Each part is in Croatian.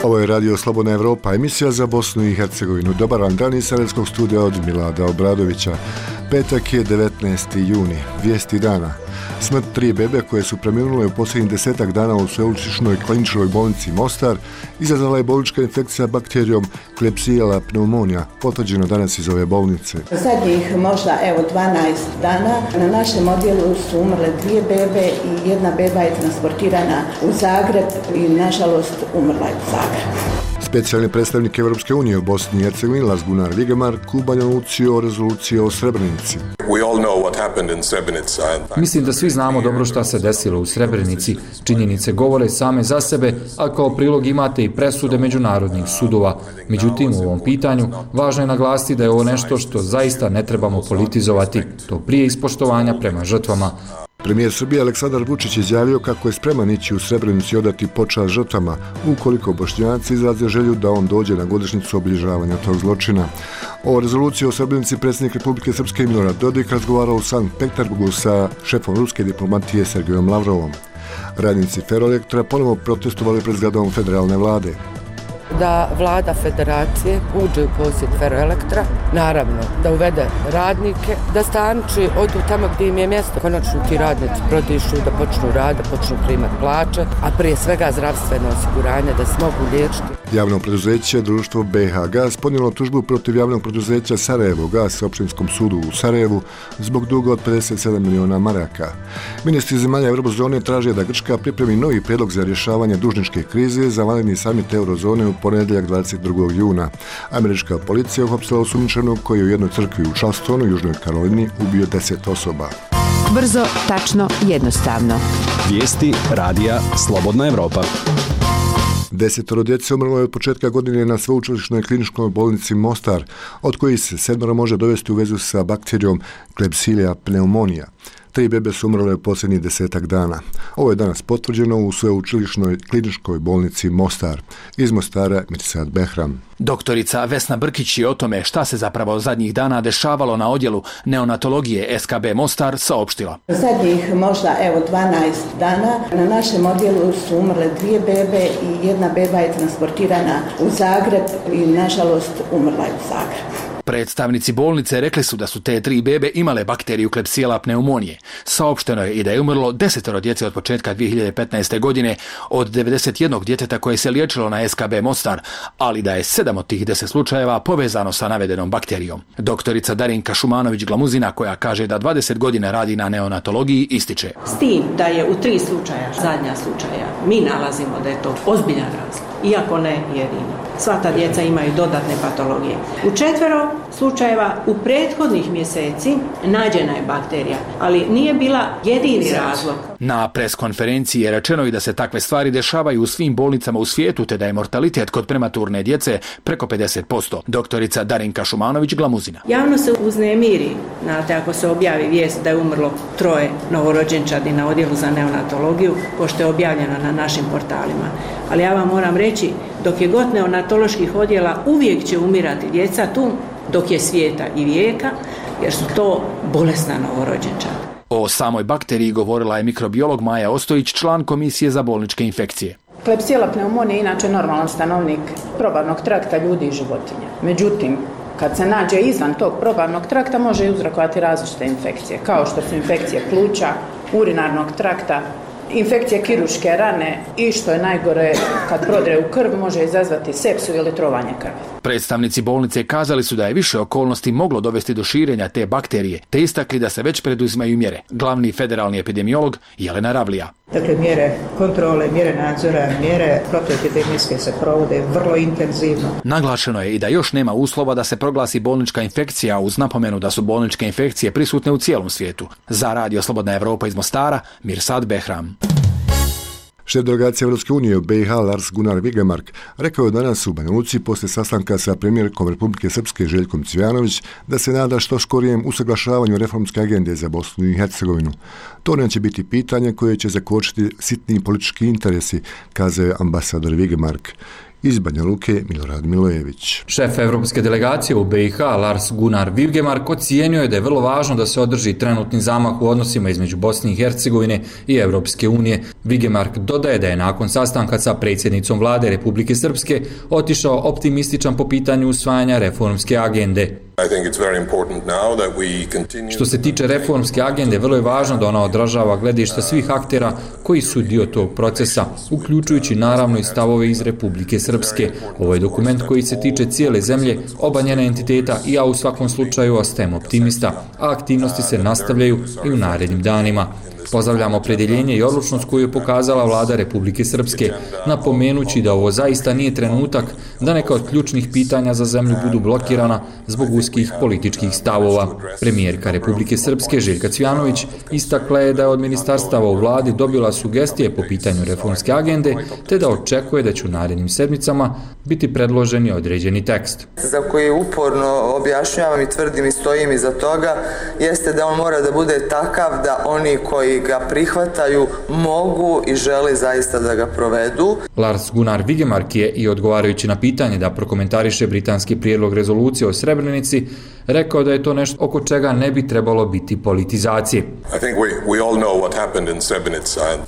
Ovo je Radio Slobodna Evropa, emisija za Bosnu i Hercegovinu. Dobar vam dan iz Sarajevskog studija od Milada Obradovića. Petak je 19. juni, vijesti dana. Smrt 3 bebe koje su preminule u posljednjih 10 dana u sveučilišnoj kliničkoj bolnici Mostar izazvala je bolnička infekcija bakterijom Klebsiella pneumonia, potvrđeno danas iz ove bolnice. Zadnjih možda 12 dana na našem odjelu su umrle 2 bebe i 1 beba je transportirana u Zagreb i nažalost umrla je u Zagrebu. Specijalni predstavnik Evropske unije u Bosni i Hercegovini Lars Gunnar Vigemark u Banja Luci o rezoluciji o Srebrenici. Mislim da svi znamo dobro šta se desilo u Srebrenici. Činjenice govore same za sebe, a kao prilog imate i presude međunarodnih sudova. Međutim, u ovom pitanju važno je naglasiti da je ovo nešto što zaista ne trebamo politizovati. To prije ispoštovanja prema žrtvama. Premijer Srbije Aleksandar Vučić izjavio kako je spreman ići u Srebrenicu i odati počast žrtvama ukoliko Bošnjaci izraze želju da on dođe na godišnjicu obilježavanja tog zločina. O rezoluciji o Srebrenici predsjednik Republike Srpske Milorad Dodik razgovarao u Sankt Peterburgu sa šefom ruske diplomatije Sergejom Lavrovom. Radnici Ferroelektra ponovo protestovali pred zgradom federalne vlade. Da vlada federacije uđe u posjed Ferroelektra, naravno da uvede radnike, da stanči odu tamo gdje im je mjesto, konačno ti radnici prodišu, da počnu raditi, počnu primati plaće, a prije svega zdravstveno osiguranje, da se mogu liječiti. Javno preduzeće društvo BH Gas podnijelo tužbu protiv javnog preduzeća Sarajevo Gas općinskom sudu u Sarajevu zbog duga od 57 miliona maraka. Ministri zemalja Eurozone traže da Grčka pripremi novi prijedlog za rješavanje dužničke krize za vanredni samit Eurozone u ponedjeljak 22. juna. Američka policija uhapsila osumnjičenog koji je u jednoj crkvi u Charlestonu, Južnoj Karolini, ubio 10 osoba. Brzo, tačno, jednostavno. Vijesti radija Slobodna Evropa. 10 djece umrlo je od početka godine na sveučilišnoj kliničkoj bolnici Mostar, od kojih se 7 može dovesti u vezu sa bakterijom Klebsiella pneumonia. 3 bebe su umrle u posljednjih 10 dana. Ovo je danas potvrđeno u sveučilišnoj kliničkoj bolnici Mostar. Iz Mostara Mirsad Behram. Doktorica Vesna Brkić je o tome šta se zapravo zadnjih dana dešavalo na odjelu neonatologije SKB Mostar saopštila. Zadnjih možda 12 dana na našem odjelu su umrle 2 bebe i 1 beba je transportirana u Zagreb i nažalost umrla je u Zagrebu. Predstavnici bolnice rekli su da su te 3 bebe imale bakteriju Klebsiella pneumonije. Saopšteno je i da je umrlo 10 djece od početka 2015. godine od 91 djeteta koje se liječilo na SKB Mostar, ali da je 7 od tih 10 slučajeva povezano sa navedenom bakterijom. Doktorica Darinka Šumanović-Glamuzina, koja kaže da 20 godina radi na neonatologiji, ističe. S tim da je u 3 slučaja, zadnja slučaja, mi nalazimo da je to ozbiljan razlog, iako ne jedini. Sva ta djeca imaju dodatne patologije. U 4 slučajeva u prethodnih mjeseci nađena je bakterija, ali nije bila jedini razlog. Na preskonferenciji je rečeno i da se takve stvari dešavaju u svim bolnicama u svijetu, te da je mortalitet kod prematurne djece preko 50%. Doktorica Darinka Šumanović-Glamuzina. Javno se uznemiri, znate, ako se objavi vijest da je umrlo 3 novorođenčadi na odjelu za neonatologiju, pošto je objavljeno na našim portalima. Ali ja vam moram reći, dok je god neonatoloških odjela, uvijek će umirati djeca tu, dok je svijeta i vijeka, jer su to bolesna novorođenčad. O samoj bakteriji govorila je mikrobiolog Maja Ostojić, član Komisije za bolničke infekcije. Klebsiella pneumonia je inače normalan stanovnik probavnog trakta ljudi i životinja. Međutim, kad se nađe izvan tog probavnog trakta, može uzrokovati različite infekcije, kao što su infekcije pluća, urinarnog trakta, infekcije kirurške rane i što je najgore, kad prodre u krv, može izazvati sepsu ili trovanje krvi. Predstavnici bolnice kazali su da je više okolnosti moglo dovesti do širenja te bakterije, te istakli da se već preduzimaju mjere. Glavni federalni epidemiolog Jelena Ravlija. Dakle, mjere kontrole, mjere nadzora, mjere protuepidemijske se provode vrlo intenzivno. Naglašeno je i da još nema uslova da se proglasi bolnička infekcija, uz napomenu da su bolničke infekcije prisutne u cijelom svijetu. Za Radio Slobodna Evropa iz Mostara, Mirsad Behram. Šef delegacije Evropske unije u BiH Lars Gunnar Vigemark rekao je danas u Banja Luci poslije sastanka sa premijerkom Republike Srpske Željkom Cvijanović da se nada što skorijem usaglašavanju reformske agende za Bosnu i Hercegovinu. To neće biti pitanje koje će zakočiti sitni politički interesi, kazao je ambasador Vigemark. Iz Banja Luke Milorad Milojević. Šef evropske delegacije u BiH Lars Gunnar Vigemark ocijenio je da je vrlo važno da se održi trenutni zamah u odnosima između Bosne i Hercegovine i Evropske unije. Vigemark dodaje da je nakon sastanka sa predsjednicom vlade Republike Srpske otišao optimističan po pitanju usvajanja reformske agende. Što se tiče reformske agende, vrlo je važno da ona odražava gledišta svih aktera koji su dio tog procesa, uključujući naravno i stavove iz Republike Srpske. Ovo je dokument koji se tiče cijele zemlje, oba njena entiteta i ja u svakom slučaju ostajem optimista, a aktivnosti se nastavljaju i u narednim danima. Pozdravljamo opredjeljenje i odlučnost koju je pokazala vlada Republike Srpske, napomenući da ovo zaista nije trenutak da neka od ključnih pitanja za zemlju budu blokirana zbog uskih političkih stavova. Premijerka Republike Srpske Željka Cvjanović istakla je da je od ministarstava u vladi dobila sugestije po pitanju reformske agende, te da očekuje da će u narednim sedmicama biti predloženi određeni tekst. Za koji uporno objašnjavam i tvrdim i stojim iza toga, jeste da on mora da bude takav da oni koji ga prihvataju mogu i žele zaista da ga provedu. Lars Gunnar Vigemark je i odgovarajući na pitanje da prokomentariše britanski prijedlog rezolucije o Srebrenici, rekao da je to nešto oko čega ne bi trebalo biti politizacije.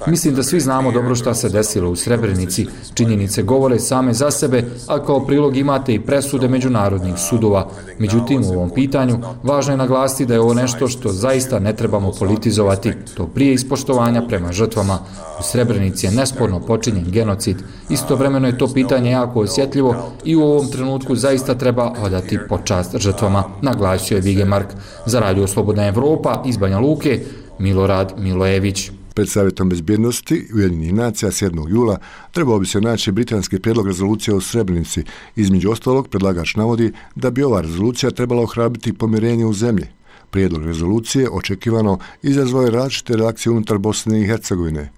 Mislim da svi znamo dobro šta se desilo u Srebrenici. Činjenice govore same za sebe, a kao prilog imate i presude međunarodnih sudova. Međutim, u ovom pitanju važno je naglasiti da je ovo nešto što zaista ne trebamo politizovati. To prije ispoštovanja prema žrtvama. U Srebrenici je nesporno počinjen genocid. Istovremeno je to pitanje jako osjetljivo i u ovom trenutku zaista treba odati počast žrtvama, naglasio je Vigemark. Za Radio Slobodna Evropa iz Banja Luke Milorad Milojević. Pred Savjetom bezbjednosti Ujedinjenih nacija 7. jula trebao bi se naći britanski prijedlog rezolucije o Srebrenici. Između ostalog, predlagač navodi da bi ova rezolucija trebala ohrabriti pomirenje u zemlji. Prijedlog rezolucije očekivano izazvao je različite reakcije unutar Bosne i Hercegovine.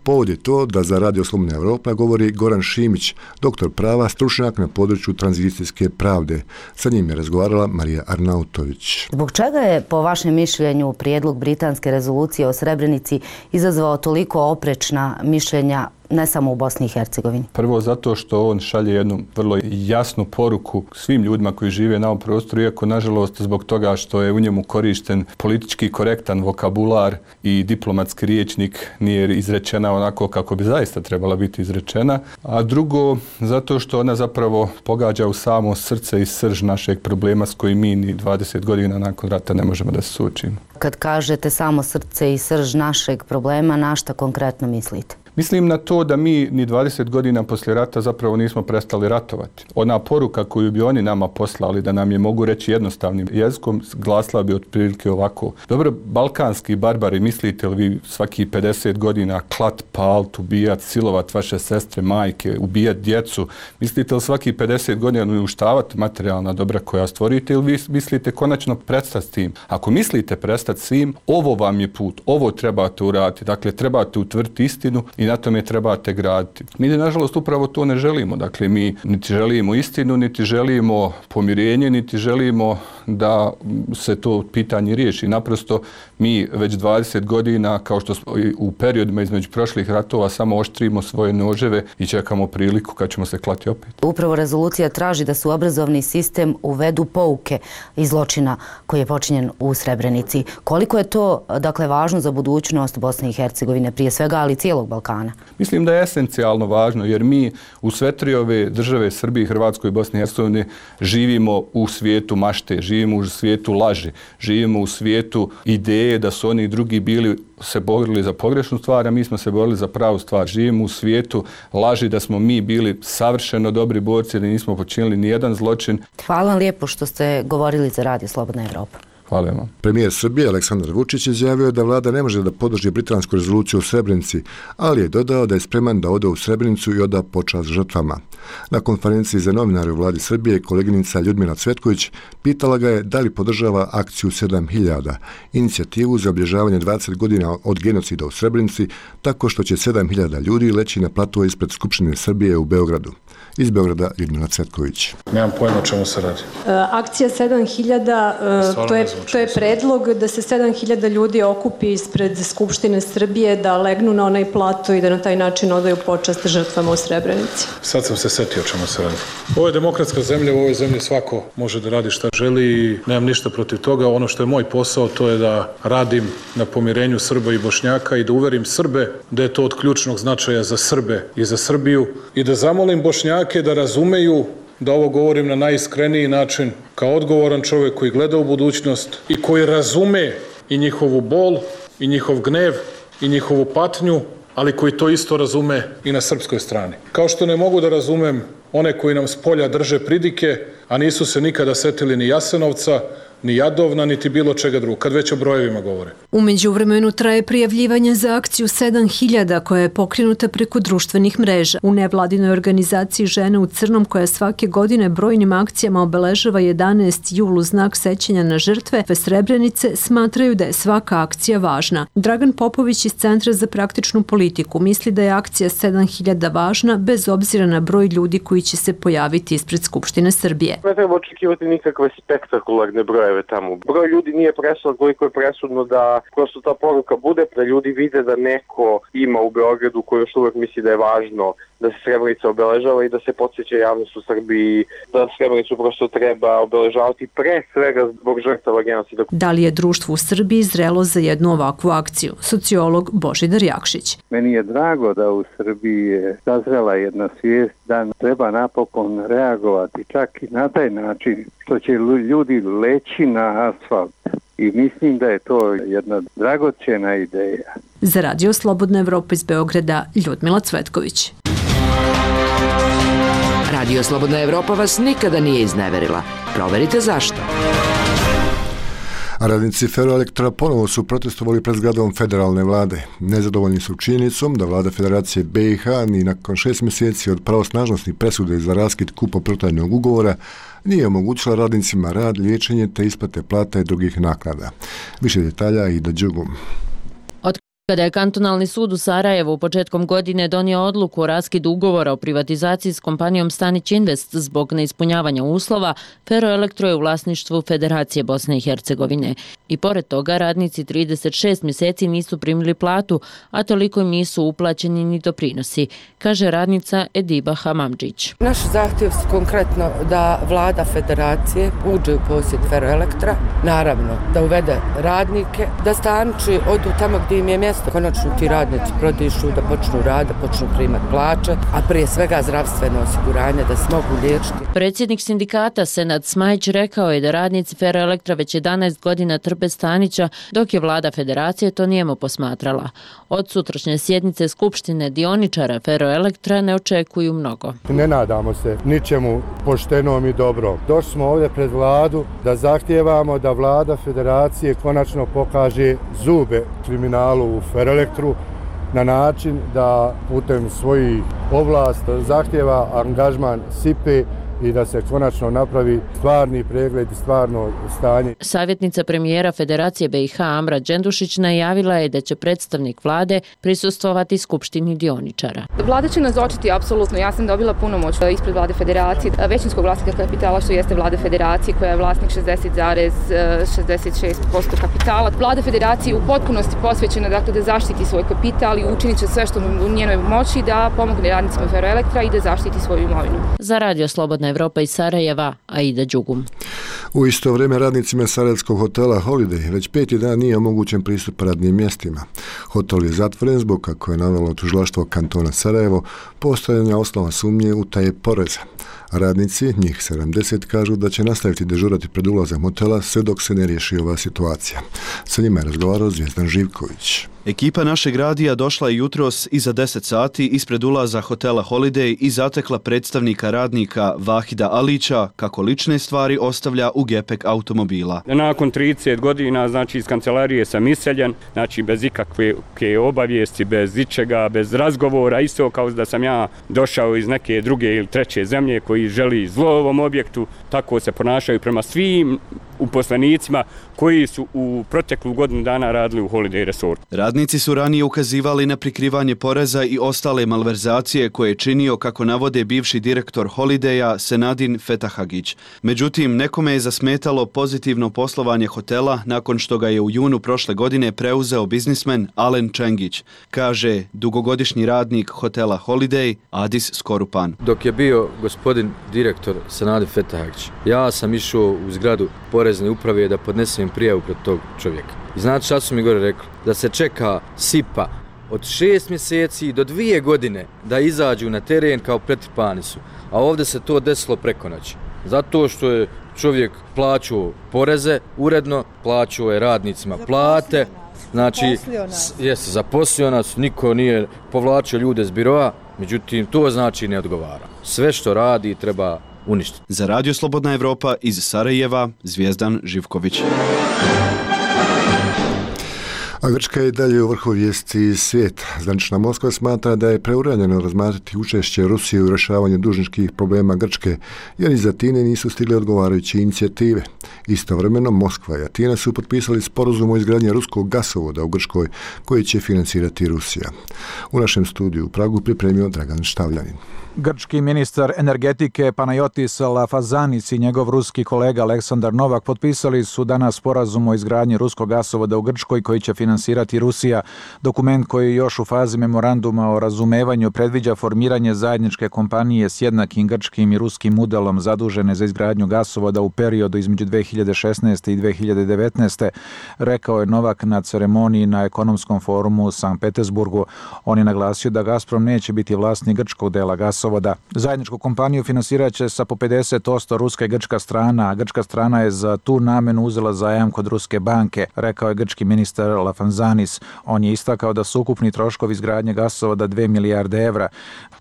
Povod je to da za Radio Slobodna Evropa govori Goran Šimić, doktor prava, stručnjak na području tranzicijske pravde. Sa njim je razgovarala Marija Arnautović. Zbog čega je, po vašem mišljenju, prijedlog britanske rezolucije o Srebrenici izazvao toliko oprečna mišljenja ne samo u Bosni i Hercegovini? Prvo zato što on šalje jednu vrlo jasnu poruku svim ljudima koji žive na ovom prostoru, iako nažalost zbog toga što je u njemu korišten politički korektan vokabular i diplomatski riječnik nije izrečena onako kako bi zaista trebala biti izrečena. A drugo, zato što ona zapravo pogađa u samo srce i srž našeg problema s kojim mi ni 20 godina nakon rata ne možemo da se suočimo. Kad kažete samo srce i srž našeg problema, na šta konkretno mislite? Mislim na to da mi ni 20 godina poslije rata zapravo nismo prestali ratovati. Ona poruka koju bi oni nama poslali, da nam je, mogu reći jednostavnim jezikom, glasila bi otprilike ovako. Dobro, balkanski barbari, mislite li vi svaki 50 godina klat, palt, ubijat, silovat vaše sestre, majke, ubijat djecu? Mislite li svaki 50 godina uništavati materijalna dobra koja stvorite ili vi mislite konačno prestati s tim? Ako mislite prestati s tim, ovo vam je put, ovo trebate uraditi. Dakle, trebate utvrditi istinu i na tome trebate graditi. Mi, nažalost, upravo to ne želimo. Dakle, mi niti želimo istinu, niti želimo pomirenje, niti želimo da se to pitanje riješi. Naprosto, mi već 20 godina, kao što smo u periodima između prošlih ratova, samo oštrimo svoje noževe i čekamo priliku kad ćemo se klati opet. Upravo rezolucija traži da su u obrazovni sistem uvedu pouke iz zločina koji je počinjen u Srebrenici. Koliko je to, dakle, važno za budućnost Bosne i Hercegovine, prije svega, ali cijelog Balkana? Mislim da je esencijalno važno, jer mi u sve tri ove države, Srbiji, Hrvatskoj i Bosni i Hercegovini, živimo u svijetu mašte, živimo u svijetu laži, živimo u svijetu ideje da su oni drugi bili se borili za pogrešnu stvar, a mi smo se borili za pravu stvar. Živimo u svijetu laži da smo mi bili savršeno dobri borci, da nismo počinili ni jedan zločin. Hvala vam lijepo što ste govorili za Radio Slobodna Evropa. Hvala vam. Premijer Srbije Aleksandar Vučić izjavio da vlada ne može da podrži britansku rezoluciju o Srebrenici, ali je dodao da je spreman da ode u Srebrenicu i oda počast žrtvama. Na konferenciji za novinare u vladi Srbije koleginica Ljudmila Cvetković pitala ga je da li podržava akciju 7000, inicijativu za obilježavanje 20 godina od genocida u Srebrenici, tako što će 7000 ljudi leći na platove ispred Skupštine Srbije u Beogradu. Iz Beograda Ljudmila Cvetković. Nemam pojma o čemu se radi. Akcija 7000, to je predlog da se 7000 ljudi okupi ispred Skupštine Srbije, da legnu na onaj plato i da na taj način odaju počast žrtvama u Srebrenici. Sad sam se setio o čemu se radi. Ovo je demokratska zemlja, u ovoj zemlji svako može da radi šta želi i nemam ništa protiv toga. Ono što je moj posao to je da radim na pomirenju Srba i Bošnjaka i da uverim Srbe da je to od ključnog značaja za Srbe i za Srbiju i da zamolim Bošnjake da razumeju da ovo govorim na najiskreniji način kao odgovoran čovjek koji gleda u budućnost i koji razume i njihovu bol i njihov gnev i njihovu patnju, ali koji to isto razume i na srpskoj strani. Kao što ne mogu da razumem one koji nam s polja drže pridike, a nisu se nikada setili ni Jasenovca, ni Jadovna, niti bilo čega drugog, kad već o brojevima govore. U međuvremenu traje prijavljivanje za akciju 7000 koja je pokrenuta preko društvenih mreža. U nevladinoj organizaciji Žene u crnom koja svake godine brojnim akcijama obeležava 11. jul u znak sećanja na žrtve Srebrenice smatraju da je svaka akcija važna. Dragan Popović iz Centra za praktičnu politiku misli da je akcija 7000 važna bez obzira na broj ljudi koji će se pojaviti ispred Skupštine Srbije. Ne treba očekivati nikakve spektakularne brojeve tamo. Broj ljudi nije presudan koliko je presudno da prosto ta poruka bude, da ljudi vide da neko ima u Beogradu koji još uvek misli da je važno da se Srebrenica obeležava i da se podsjeća javnost u Srbiji da Srebrenicu prosto treba obeležavati pre svega zbog žrtava genocida. Da li je društvo u Srbiji zrelo za jednu ovakvu akciju? Sociolog Božidar Jakšić. Meni je drago da u Srbiji je sazrela jedna svijest da treba napokon reagovati čak i na taj način što će ljudi leći na asfalt. I mislim da je to jedna dragocjena ideja. Za Radio Slobodna Evropa iz Beograda, Ljudmila Cvetković. Radio Slobodna Evropa vas nikada nije izneverila. Proverite zašto. Radnici Ferroelektra ponovo su protestovali pred zgradom federalne vlade. Nezadovoljni su činjenicom da vlada Federacije BiH ni nakon 6 mjeseci od pravosnažnosti presude za raskid kupoprodanog ugovora nije omogućila radnicima rad, liječenje te isplate plata i drugih naknada. Više detalja Ida Đugum. Kada je kantonalni sud u Sarajevu početkom godine donio odluku o raskidu ugovora o privatizaciji s kompanijom Stanić Invest zbog neispunjavanja uslova, Ferroelektro je u vlasništvu Federacije Bosne i Hercegovine. I pored toga radnici 36 mjeseci nisu primili platu, a toliko im nisu uplaćeni ni doprinosi, kaže radnica Ediba Hamamdžić. Naš zahtjev je konkretno da vlada Federacije uđe u posjed Ferroelektra, naravno da uvede radnike, da stanči odu tamo gdje im je mjesto. Konačno ti radnici prodišu, da počnu rad, da počnu primati plaće, a prije svega zdravstveno osiguranje, da se mogu liječiti. Predsjednik sindikata Senad Smajić rekao je da radnici Ferroelektra već 11 godina trpe Stanića, dok je vlada Federacije to nijemo posmatrala. Od sutrašnje sjednice Skupštine dioničara Ferroelektra ne očekuju mnogo. Ne nadamo se ničemu poštenom i dobrom. Došli smo ovdje pred vladu da zahtijevamo da vlada Federacije konačno pokaže zube kriminalu u Ferroelektru na način da putem svojih ovlast zahtjeva angažman SIPE i da se konačno napravi stvarni pregled i stvarno stanje. Savjetnica premijera Federacije BiH Amra Đendušić najavila je da će predstavnik vlade prisustvovati skupštini dioničara. Vlada će nazočiti apsolutno. Ja sam dobila punomoć ispred vlade Federacije, većinskog vlasnika kapitala što jeste vlada Federacije koja je vlasnik 60,66% kapitala. Vlada Federacije u potpunosti posvećena dakle, da zaštiti svoj kapital i učinit će sve što u njenoj moći da pomogne radnicima Ferroelektra i da zaštiti svoju imovinu. Za Radio Slobodna Evropa iz Sarajeva, Aida Đugum. U isto vrijeme radnicima sarajevskog hotela Holiday već 5. dan nije omogućen pristup radnim mjestima. Hotel je zatvoren zbog, kako je navelo tužilaštvo kantona Sarajevo, postojanja osnova sumnje utaje poreza. Radnici, njih 70, kažu da će nastaviti dežurati pred ulazom hotela sve dok se ne riješi ova situacija. Sa njima je razgovarao Zvijezdan Živković. Ekipa našeg radija došla je jutros iza 10 sati ispred ulaza hotela Holiday i zatekla predstavnika radnika Vahida Alića kako lične stvari ostavlja u gepek automobila. Nakon 30 godina, znači iz kancelarije sam iseljen, znači bez ikakve obavijesti, bez ičega, bez razgovora, isto kao da sam ja došao iz neke druge ili treće zemlje koji želi zlo ovom objektu, tako se ponašaju prema svim uposlenicima koji su u proteklu godinu dana radili u Holiday Resortu. Radnici su ranije ukazivali na prikrivanje poreza i ostale malverzacije koje je činio, kako navode bivši direktor Holidaya Senadin Fetahagić. Međutim, nekome je zasmetalo pozitivno poslovanje hotela nakon što ga je u junu prošle godine preuzeo biznismen Alen Čengić, kaže dugogodišnji radnik hotela Holiday Adis Skorupan. Dok je bio gospodin direktor Senadin Fetahagić, ja sam išao u zgradu porezne uprave da podnesem prijavu protiv tog čovjeka. I znate šta su mi gore rekli? Da se čeka SIPA od 6 mjeseci do 2 godine da izađu na teren kao pretrpani su. A ovdje se to desilo preko noći. Zato što je čovjek plaćao poreze uredno, plaćao je radnicima plate, znači zaposlio nas, niko nije povlačio ljude s biroa, međutim to znači ne odgovara. Sve što radi treba uništiti. Za Radio Slobodna Evropa iz Sarajeva, Zvijezdan Živković. A Grčka je dalje u vrhu vijesti svijeta. Zvanična Moskva smatra da je preuranjeno razmatrati učešće Rusije u rješavanju dužničkih problema Grčke, jer iz Atine nisu stigle odgovarajuće inicijative. Istovremeno, Moskva i Atina su potpisali sporazum o izgradnji ruskog gasovoda u Grčkoj, koji će financirati Rusija. U našem studiju u Pragu pripremio Dragan Štavljanin. Grčki ministar energetike Panayotis Lafazanis i njegov ruski kolega Aleksandar Novak potpisali su danas sporazum o izgradnji ruskog gasovoda u Grčkoj koji će finansirati Rusija. Dokument koji je još u fazi memoranduma o razumevanju predviđa formiranje zajedničke kompanije s jednakim grčkim i ruskim modelom zadužene za izgradnju gasovoda u periodu između 2016. i 2019. Rekao je Novak na ceremoniji na ekonomskom forumu u Sankt Petersburgu. On je naglasio da Gazprom neće biti vlasnik grčkog dela gasovoda. Zajedničku kompaniju finansirat će sa po 50% ruska i grčka strana, a grčka strana je za tu namenu uzela zajam kod ruske banke, rekao je grčki ministar Lafanzanis. On je istakao da su ukupni troškovi izgradnje gasovoda 2 milijarde evra.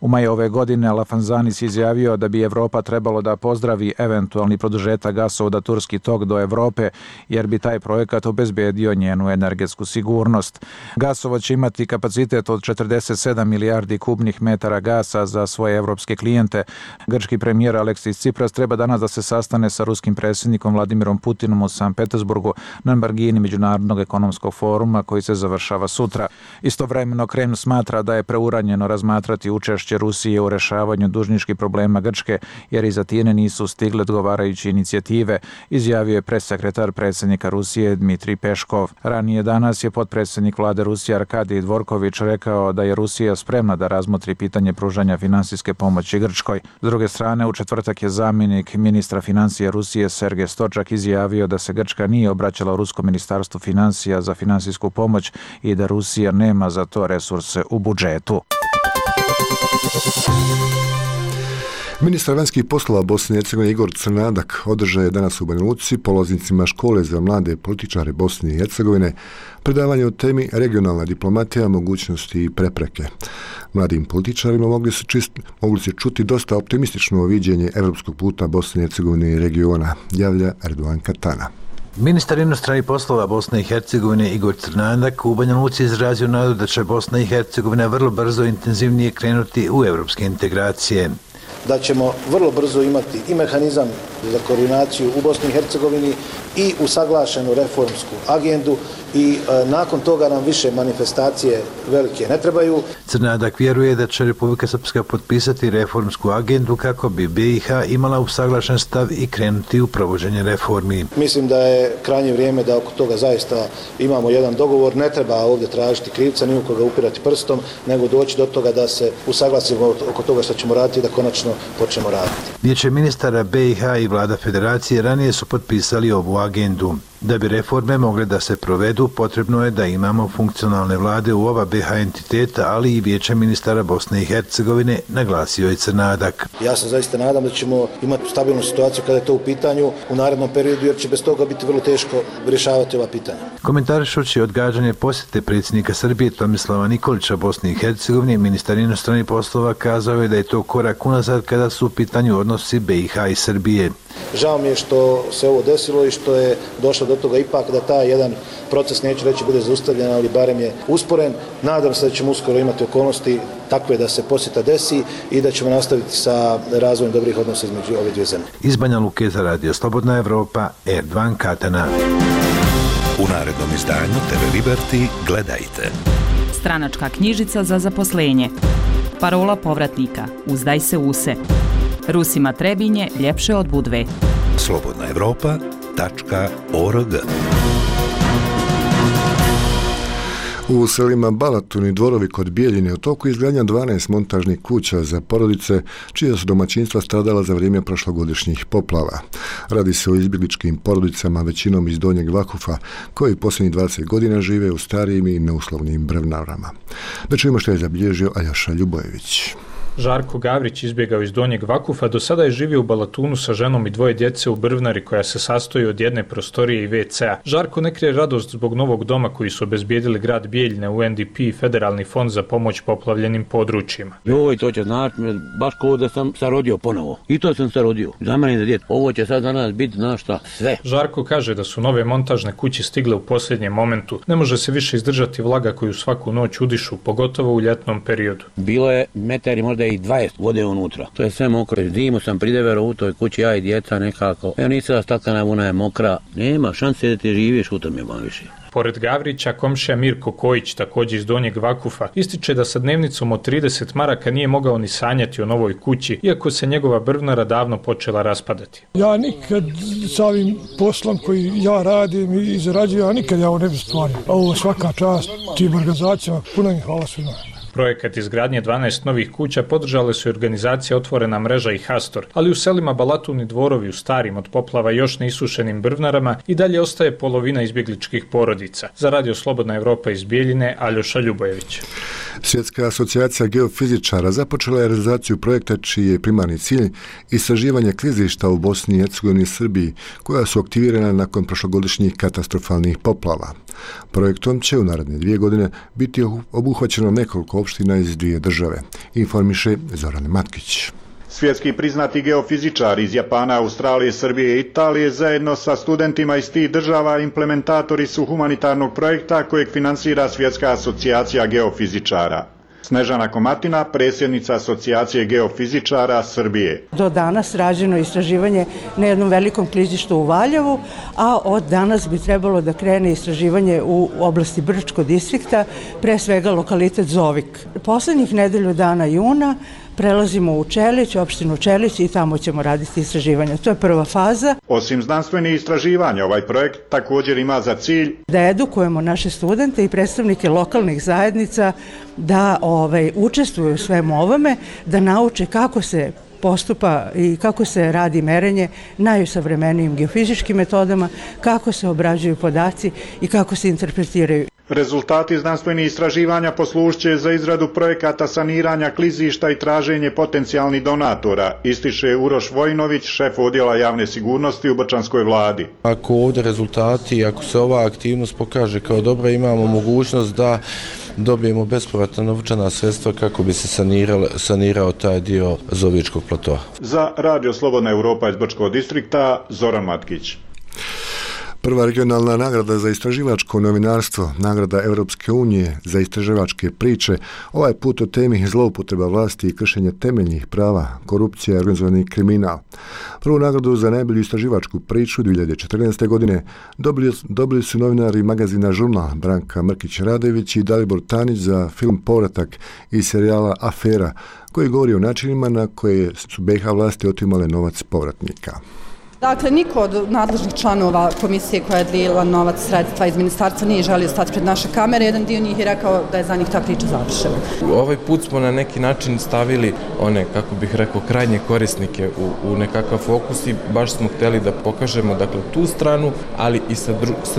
U maju ove godine Lafanzanis izjavio da bi Evropa trebalo da pozdravi eventualni produžetak gasovoda Turski tok do Evrope, jer bi taj projekat obezbedio njenu energetsku sigurnost. Gasovod će imati kapacitet od 47 milijardi kubnih metara gasa za svoje evropske klijente. Grčki premijer Aleksis Tsipras treba danas da se sastane sa ruskim predsjednikom Vladimirom Putinom u Sankt Petersburgu na margini Međunarodnog ekonomskog foruma koji se završava sutra. Istovremeno Kreml smatra da je preuranjeno razmatrati učešće Rusije u rešavanju dužničkih problema Grčke, jer iz Atine nisu stigle odgovarajuće inicijative, izjavio je pressekretar predsjednika Rusije Dmitrij Peškov. Ranije danas je potpredsjednik vlade Rusije Arkadij Dvorković rekao da je Rusija spremna da razmotri pitanje pružanja financijske pomoći Grčkoj. S druge strane, u četvrtak je zamjenik ministra financija Rusije Sergej Stočak izjavio da se Grčka nije obraćala u Rusko ministarstvo financija za finansijsku pomoć i da Rusija nema za to resurse u budžetu. Ministar vanjskih poslova Bosne i Hercegovine Igor Crnadak održao je danas u Banja Luci polaznicima škole za mlade političare Bosne i Hercegovine predavanje o temi regionalna diplomatija, mogućnosti i prepreke. Mladim političarima mogli se čuti dosta optimistično viđenje evropskog puta Bosne i Hercegovine i regiona, javlja Erdogan Katana. Ministar inostranih poslova Bosne i Hercegovine Igor Crnadak u Banja Luci izrazio nadu da će Bosna i Hercegovina vrlo brzo intenzivnije krenuti u evropske integracije. Da ćemo vrlo brzo imati i mehanizam za koordinaciju u Bosni i Hercegovini i usaglašenu reformsku agendu i nakon toga nam više manifestacije velike ne trebaju. Crnadak vjeruje da će Republika Srpska potpisati reformsku agendu kako bi BiH imala usaglašen stav i krenuti u provođenje reformi. Mislim da je krajnje vrijeme da oko toga zaista imamo jedan dogovor. Ne treba ovdje tražiti krivca, ni u koga upirati prstom, nego doći do toga da se usaglasimo oko toga što ćemo raditi i da konačno počnemo raditi. Vijeće ministara BiH i vlada federacije ranije su potpisali ovu agendu. Da bi reforme mogle da se provedu, potrebno je da imamo funkcionalne vlade u oba BiH entiteta, ali i Vijeće ministara Bosne i Hercegovine, naglasio je Crnadak. Ja se zaista nadam da ćemo imati stabilnu situaciju kada je to u pitanju u narednom periodu, jer će bez toga biti vrlo teško rješavati ova pitanja. Komentarišući odgađanje posjete predsjednika Srbije Tomislava Nikolića Bosni i Hercegovine, ministar inostranih poslova kazao je da je to korak unazad kada su u pitanju odnosi BiH i Srbije. Žao mi je što se ovo desilo i što je došlo do toga ipak da taj jedan proces, neću reći bude zaustavljen, ali barem je usporen. Nadam se da ćemo uskoro imati okolnosti takve da se posjeta desi i da ćemo nastaviti sa razvojem dobrih odnosa između ove dvije zemlje. Iz Banja Luke za Radio Slobodna Evropa, Erdogan Katana. U narednom izdanju TV Liberty gledajte. Stranačka knjižica za zaposlenje. Parola povratnika. Uzdaj se use. Rusima Trebinje ljepše od Budve. slobodnaevropa.org. U selima Balatun i Dvorovi kod Bijeljine u toku izgradnja 12 montažnih kuća za porodice čija su domaćinstva stradala za vrijeme prošlogodišnjih poplava. Radi se o izbjegličkim porodicama, većinom iz Donjeg Vakufa, koji posljednjih 20 godina žive u starijim i neuslovnim brvnarama. Da čujemo što je zabilježio Aljoša Ljubojević. Žarko Gavrić izbjegao iz Donjeg Vakufa, do sada je živio u Balatunu sa ženom i 2 djece u brvnari koja se sastoji od jedne prostorije i WC-a. Žarko ne krije radost zbog novog doma koji su obezbijedili grad Bijeljine, UNDP i Federalni fond za pomoć poplavljenim područjima. Joj, to će znači baš kao da sam se rodio ponovo. I to sam se rodio. Za mene za djetu. Ovo će sad za nas biti šta sve. Žarko kaže da su nove montažne kuće stigle u posljednjem momentu. Ne može se više izdržati vlaga koju svaku noć udišu, pogotovo u ljetnom periodu. Bilo je metari možda i 20 vode unutra. To je sve mokro. Zimu sam pridevero u toj kući, ja i djeca nekako. Evo nisam stakana, ona je mokra. Nema šanse da ti živiš u tome više. Pored Gavrića, komšija Mirko Kojić, također iz Donjeg Vakufa, ističe da sa dnevnicom od 30 maraka nije mogao ni sanjati o novoj kući, iako se njegova brvnara davno počela raspadati. Ja nikad sa ovim poslom koji ja radim i zarađujem, ja nikad ovo ne bi stvario. Ovo svaka čast tim organizacijama, puno im hvala svima. Projekat izgradnje 12 novih kuća podržale su organizacije Otvorena mreža i Hastor, ali u selima Balatun i Dvorovi u starim od poplava još neisušenim brvnarama i dalje ostaje polovina izbjegličkih porodica. Za Radio Slobodna Evropa iz Bijeljine, Aljoša Ljubojević. Svjetska asocijacija geofizičara započela je realizaciju projekta čiji je primarni cilj istraživanje klizišta u Bosni i Hercegovini i Srbiji, koja su aktivirana nakon prošlogodišnjih katastrofalnih poplava. Projektom će u naredne 2 godine biti obuhvaćeno nekoliko opština iz 2 države, informiše Zoran Matkić. Svjetski priznati geofizičari iz Japana, Australije, Srbije i Italije zajedno sa studentima iz tih država implementatori su humanitarnog projekta kojeg finansira Svjetska asocijacija geofizičara. Snežana Komatina, predsjednica asocijacije geofizičara Srbije. Do danas rađeno istraživanje na jednom velikom klizištu u Valjevu, a od danas bi trebalo da krene istraživanje u oblasti Brčko distrikta, pre svega lokalitet Zovik. Poslednjih nedelju dana juna prelazimo u Čelić, opštinu Čelić i tamo ćemo raditi istraživanja. To je prva faza. Osim znanstvenih istraživanja, ovaj projekt također ima za cilj da edukujemo naše studente i predstavnike lokalnih zajednica da učestvuju u svemu ovome, da nauče kako se postupa i kako se radi merenje najsavremenijim geofizičkim metodama, kako se obrađuju podaci i kako se interpretiraju. Rezultati znanstvenih istraživanja poslužit će za izradu projekata saniranja klizišta i traženje potencijalnih donatora, ističe Uroš Vojnović, šef odjela javne sigurnosti u Brčanskoj vladi. Ako ovdje rezultati, ako se ova aktivnost pokaže kao dobra, imamo mogućnost da dobijemo bespovratna novčana sredstva kako bi se sanirao taj dio Zovičkog platoa. Za Radio Slobodna Evropa iz Brčkog distrikta, Zoran Matkić. Prva regionalna nagrada za istraživačko novinarstvo, nagrada Europske unije za istraživačke priče, ovaj put o temi zloupotreba vlasti i kršenja temeljnih prava, korupcija i organizovani kriminal. Prvu nagradu za najbolju istraživačku priču 2014. godine dobili su novinari magazina Žurnal Branka Mrkić-Radojević i Dalibor Tanić za film Povratak iz serijala Afera, koji govori o načinima na koje su BiH vlasti otimale novac povratnika. Dakle, niko od nadležnih članova komisije koja je dijelila novac sredstva iz ministarstva nije želio stati pred naše kamere. Jedan dio njih je rekao da je za njih ta priča završena. Ovaj put smo na neki način stavili one, kako bih rekao, krajnje korisnike u nekakav fokus i baš smo htjeli da pokažemo tu stranu, ali i sa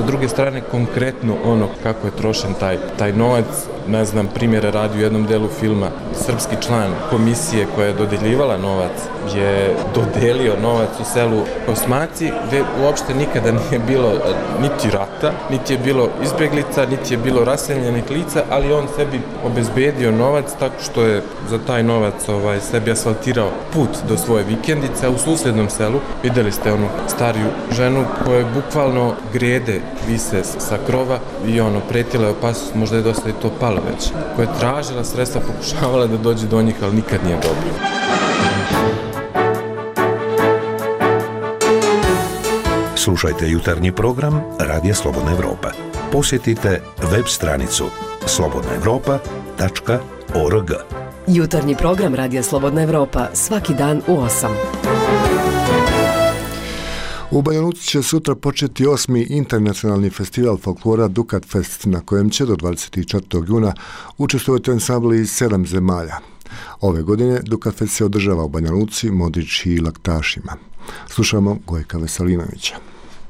druge strane konkretno ono kako je trošen taj novac, ne znam, primjere radi u jednom delu filma. Srpski član komisije koja je dodeljivala novac je dodelio novac u selu Osmaci, gdje uopšte nikada nije bilo niti rata, niti je bilo izbjeglica, niti je bilo raseljenih lica, ali on sebi obezbedio novac tako što je za taj novac sebi asfaltirao put do svoje vikendice, a u susjednom selu vidjeli ste onu stariju ženu koja bukvalno grede vise sa krova i pretila je opasnost, možda je dosta i to palo već, koja je tražila sredstva, pokušavala da dođe do njih, ali nikad nije dobro. Slušajte jutarnji program Radija Slobodna Evropa. Posjetite web stranicu slobodnaevropa.org. Jutarnji program Radija Slobodna Evropa svaki dan u 8. U Banja Luci će sutra početi 8. internacionalni festival folklora Dukat Fest, na kojem će do 24. juna učestvovati ansambli iz 7 zemalja. Ove godine Dukat Fest se održava u Banja Luci, Modrići i Laktašima. Slušamo Gojka Veselinovića.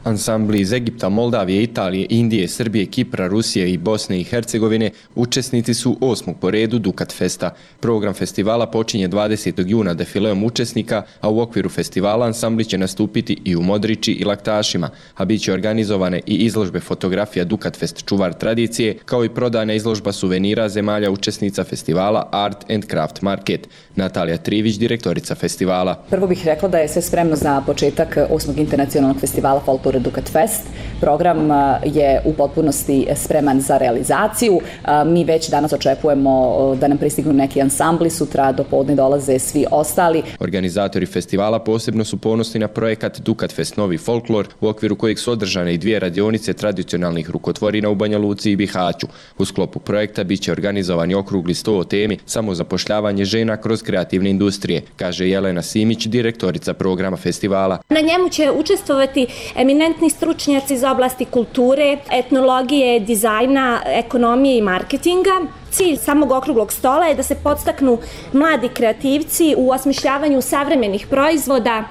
Ansambli iz Egipta, Moldavije, Italije, Indije, Srbije, Kipra, Rusije i Bosne i Hercegovine učesnici su 8. po redu Dukat Festa. Program festivala počinje 20. juna defileom učesnika, a u okviru festivala ansambli će nastupiti i u Modrići i Laktašima, a bit će organizovane i izložbe fotografija Dukat Fest čuvar tradicije, kao i prodana izložba suvenira zemalja učesnica festivala Art and Craft Market. Natalija Trivić, direktorica festivala. Prvo bih rekla da je sve spremno za početak 8. internacionalnog festivala folklora Dukat Fest. Program je u potpunosti spreman za realizaciju. Mi već danas očekujemo da nam pristignu neki ansambli, sutra do podne dolaze svi ostali. Organizatori festivala posebno su ponosni na projekat Dukat Fest Novi folklor, u okviru kojeg su održane i 2 radionice tradicionalnih rukotvorina u Banja Luci i Bihaću. U sklopu projekta biće organizovani okrugli sto o temi samozapošljavanje žena kroz kreativne industrije, kaže Jelena Simić, direktorica programa festivala. Na njemu će učestvovati eminentni stručnjaci iz oblasti kulture, etnologije, dizajna, ekonomije i marketinga. Cilj samog okruglog stola je da se podstaknu mladi kreativci u osmišljavanju savremenih proizvoda,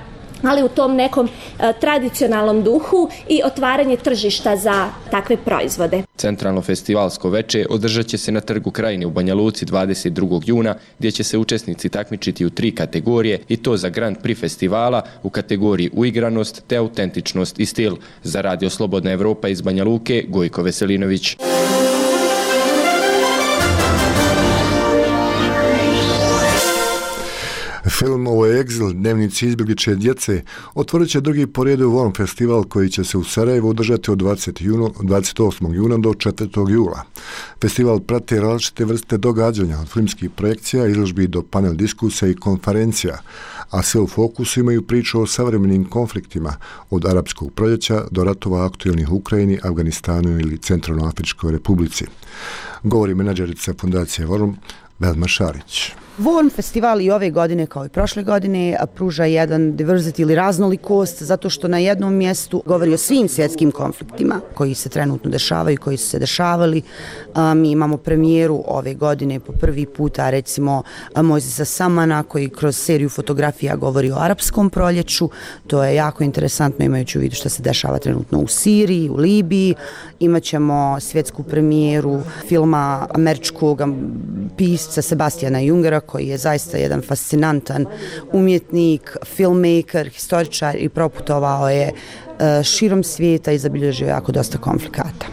ali u tom nekom tradicionalnom duhu i otvaranje tržišta za takve proizvode. Centralno festivalsko veče održat će se na Trgu Krajine u Banja Luci 22. juna, gdje će se učesnici takmičiti u 3 kategorije, i to za Grand Prix festivala u kategoriji uigranost te autentičnost i stil. Za Radio Slobodna Evropa iz Banja Luke, Gojko Veselinović. Film Ovo je egzil, dnevnici izbjegličke djece, otvorit će drugi po redu Vorm festival koji će se u Sarajevu održati od 28. juna do 4. jula. Festival prate različite vrste događanja, od filmskih projekcija, izložbi do panel diskusija i konferencija, a sve u fokusu imaju priču o savremenim konfliktima, od arapskog proljeća do ratova aktualnih u Ukrajini, Afganistanu ili Centralnoafričkoj republici. Govori menadžerica Fundacije Vorm, Velma Šarić. Vorm festival i ove godine kao i prošle godine pruža jedan diversity ili raznolikost, zato što na jednom mjestu govori o svim svjetskim konfliktima koji se trenutno dešavaju, koji su se dešavali. Mi imamo premijeru ove godine po prvi puta, recimo Mojzisa Samana, koji kroz seriju fotografija govori o arapskom proljeću. To je jako interesantno, imajući u vidu što se dešava trenutno u Siriji, u Libiji. Imaćemo svjetsku premijeru filma američkog pisca Sebastiana Jungera, koji je zaista jedan fascinantan umjetnik, filmmaker, historičar i proputovao je širom svijeta i zabilježio jako dosta konflikata.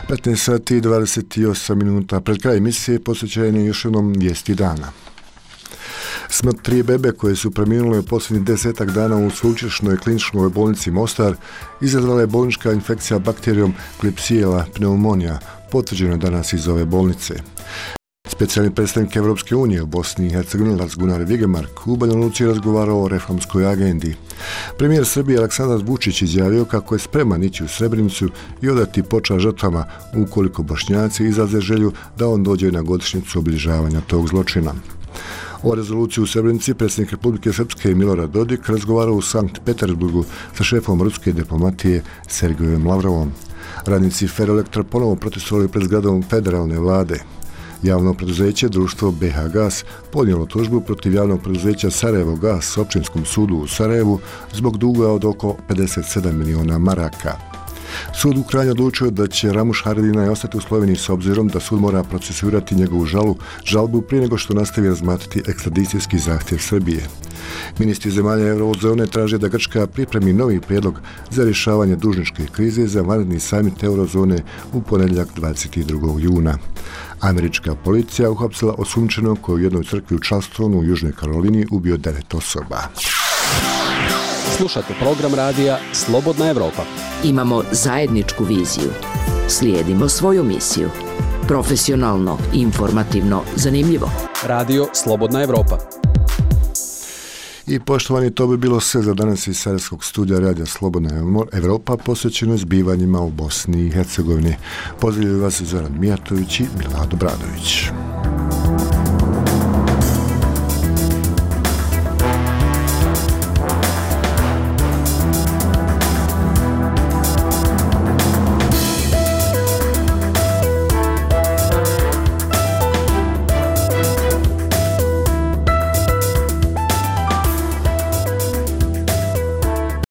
15 sati i 28 minuta pred kraj emisije posvećene još jednom vijesti dana. Smrt 3 bebe koje su preminule u posljednjih 10 dana u sveučilišnoj kliničkoj bolnici Mostar izazvala je bolnička infekcija bakterijom Klebsiella pneumonija, potvrđeno danas iz ove bolnice. Specijalni predstavnik Evropske unije u Bosni i Hercegovini Lars Gunnar Vigemark u Banja Luci razgovarao o reformskoj agendi. Premijer Srbije Aleksandar Vučić izjavio kako je spreman ići u Srebrenicu i odati počast žrtvama ukoliko Bošnjaci izraze želju da on dođe na godišnjicu obilježavanja tog zločina. O rezoluciji u Srebrenici predsjednik Republike Srpske Milorad Dodik razgovarao u Sankt Petersburgu sa šefom ruske diplomatije Sergejom Lavrovom. Radnici Ferroelektra ponovo protestovali pred zgradom federalne vlade. Javno preduzeće društvo BH Gas podnijelo tužbu protiv javnog preduzeća Sarajevo Gas općinskom sudu u Sarajevu zbog duga od oko 57 miliona maraka. Sud u Kranju odlučio da će Ramuš Haradinaj ostati u Sloveniji s obzirom da sud mora procesuirati njegovu žalbu prije nego što nastavi razmatrati ekstradicijski zahtjev Srbije. Ministri zemalja eurozone traže da Grčka pripremi novi prijedlog za rješavanje dužničke krize za vanredni samit eurozone u ponedjeljak 22. juna. Američka policija uhapsila osumnjičenog koji u jednoj crkvi u Charlestonu u Južnoj Karolini ubio 9 osoba. Slušate program radija Slobodna Evropa. Imamo zajedničku viziju. Slijedimo svoju misiju. Profesionalno, informativno, zanimljivo. Radio Slobodna Evropa. I poštovani, to bi bilo sve za danas iz Sarajevskog studija radija Slobodna Evropa posvećeno zbivanjima u Bosni i Hercegovini. Pozdravljaju vas Zoran Mijatović i Milado Bradović.